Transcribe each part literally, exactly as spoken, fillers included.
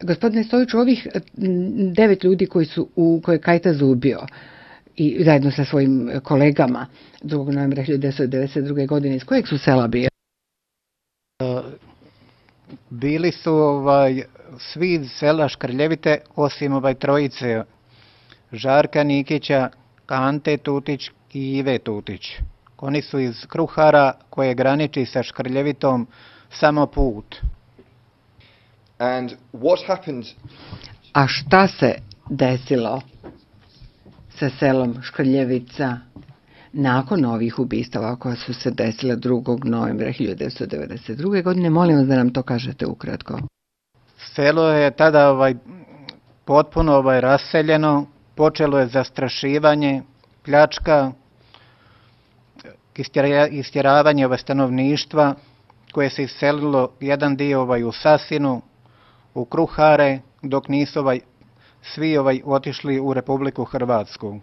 Gospodine Stojiću, ovih devet ljudi koji su u koje je Kajtaz ubio i zajedno sa svojim kolegama drugog novembra hiljadu devetsto devedeset druge. godine, iz kojeg su sela bili? Bili su ovaj, svi iz sela Škrljevite, osim ovaj trojice Žarka Nikića, Ante Tutić i Ive Tutić. Oni su iz Kruhara koje graniči sa Škrljevitom samo put. And what happened? A šta se desilo sa selom Škrljevica nakon ovih ubistava koja su se desila drugog novembra hiljadu devetsto devedeset druge. godine? Molim vas da nam to kažete ukratko. Selo je tada ovaj, potpuno ovaj, raseljeno, počelo je zastrašivanje, pljačka, istjeravanje ovaj, stanovništva koje se iselilo jedan dio ovaj, u Sasinu, u Kruhare, dok nisu ovaj, svi ovaj, otišli u Republiku Hrvatsku.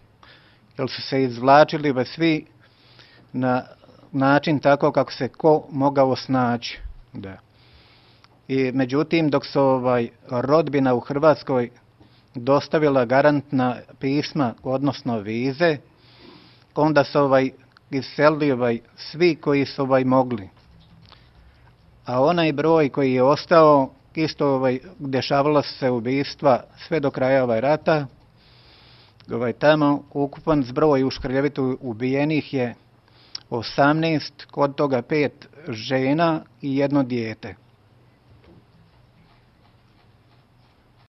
Jer su se izvlačili ovaj, svi na način tako kako se ko mogao snaći. Da. I međutim, dok su ovaj, rodbina u Hrvatskoj dostavila garantna pisma, odnosno vize, onda su ovaj, iselili ovaj, svi koji su ovaj, mogli. A onaj broj koji je ostao, isto ovaj, dešavalo se ubistva sve do kraja ovaj, rata. Ovaj, tamo ukupan zbroj u Škrljevitu ubijenih je osamnaest, kod toga pet žena i jedno dijete.